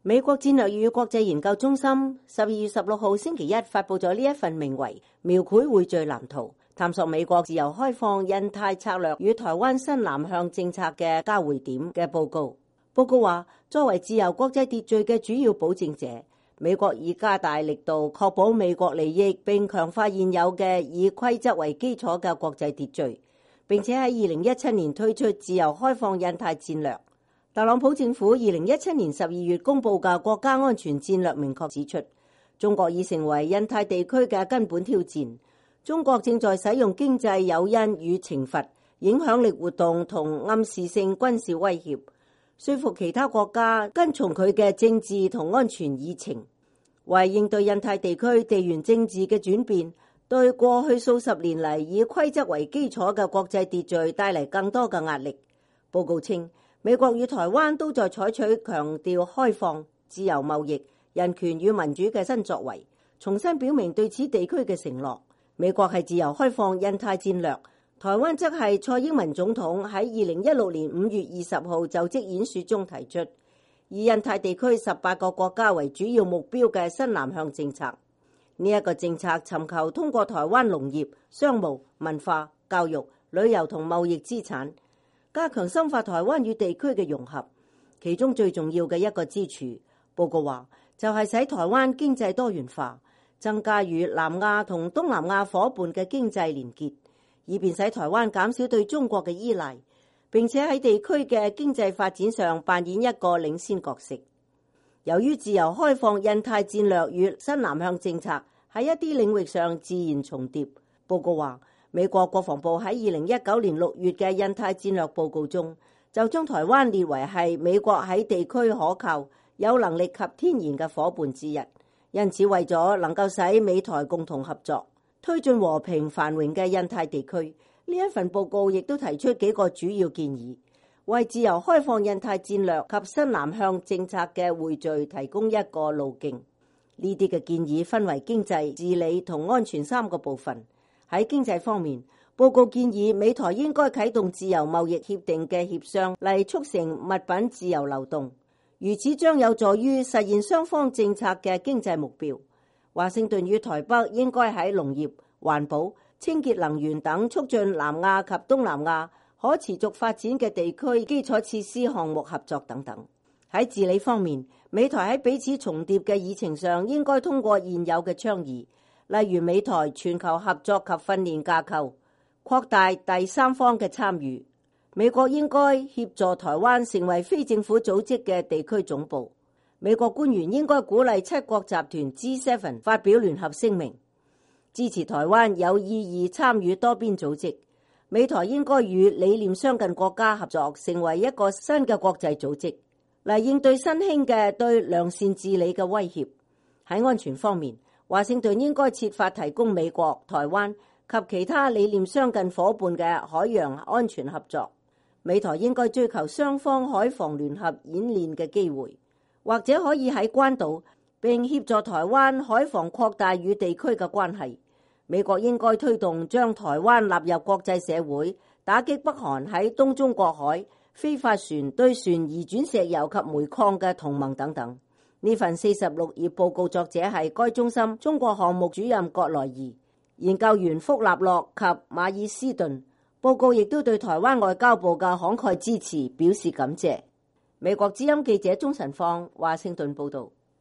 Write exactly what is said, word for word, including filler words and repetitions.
美國戰略與國際研究中心十二月十六號星期一發佈咗呢一份名為《描繪匯聚藍圖》，探索美國自由開放印太策略與台灣新南向政策嘅交匯點嘅報告。報告話，作為自由國際秩序嘅主要保證者，美國已加大力度確保美國利益，並強化現有嘅以規則為基礎嘅國際秩序，並且喺二零一七年推出自由開放印太戰略。特朗普政府二零一七年十二月公布嘅國家安全戰略明確指出，中國已成為印太地區嘅根本挑戰。中國正在使用經濟誘因與懲罰、影響力活動同暗示性軍事威脅，說服其他國家跟從佢嘅政治同安全議程。為應對印太地區地緣政治嘅轉變，對過去數十年嚟以規則為基礎嘅國際秩序帶嚟更多嘅壓力。報告稱，美國與台灣都在採取強調開放、自由貿易、人權與民主嘅新作為，重新表明對此地區嘅承諾。美國係自由開放印太戰略，台灣則係蔡英文總統喺二零一六年五月二十號就職演說中提出，以印太地區十八個國家為主要目標嘅新南向政策。呢一個政策尋求通過台灣農業、商務、文化、教育、旅遊同貿易資產，加強深化台灣與地區嘅融合。其中最重要嘅一個支柱，報告話就係使台灣經濟多元化，增加與南亞同東南亞夥伴嘅經濟連結，以便使台灣減少對中國嘅依賴，並且喺地區嘅經濟發展上扮演一個領先角色。由於自由開放印太戰略與新南向政策喺一啲領域上自然重疊，報告話美國國防部喺二零一九年六月嘅印太戰略報告中，就將台灣列為係美國喺地區可靠、有能力及天然嘅夥伴之一。因此，為咗能夠使美台共同合作，推進和平繁榮嘅印太地區，呢一份報告亦都提出幾個主要建議，為自由開放印太戰略及新南向政策嘅匯聚提供一個路徑。呢啲嘅建議分為經濟、治理同安全三個部分。喺經濟方面，報告建議美台應該啟動自由貿易協定嘅協商嚟促成物品自由流動。如此將有助於實現雙方政策嘅經濟目標。華盛頓與台北應該喺農業、環保、清潔能源等促進南亞及東南亞可持續發展嘅地區基礎設施項目合作等等。喺治理方面，美台喺彼此重疊嘅議程上應該通過現有嘅倡議，例如美台全球合作及訓練架構，擴大第三方嘅參與。美國應該協助台灣成為非政府組織嘅地區總部。美國官員應該鼓勵七國集團 G 七 發表聯合聲明，支持台灣有意義參與多邊組織。美台應該與理念相近國家合作，成為一個新嘅國際組織，嚟應對新興嘅對良善治理嘅威脅。喺安全方面，華盛頓應該設法提供美國、台灣及其他理念相近夥伴嘅海洋安全合作。美台應該追求雙方海防聯合演練嘅機會，或者可以喺關島，並協助台灣海防擴大與地區嘅關係。美國應該推動將台灣納入國際社會，打擊北韓喺東中國海非法船對船移轉石油及煤礦嘅同盟等等。呢份四十六頁報告作者係該中心中國項目主任葛萊儀、研究員福納洛及馬爾斯頓。報告亦都對台灣外交部嘅慷慨支持表示感謝。美國之音記者鍾晨芳華盛頓報道。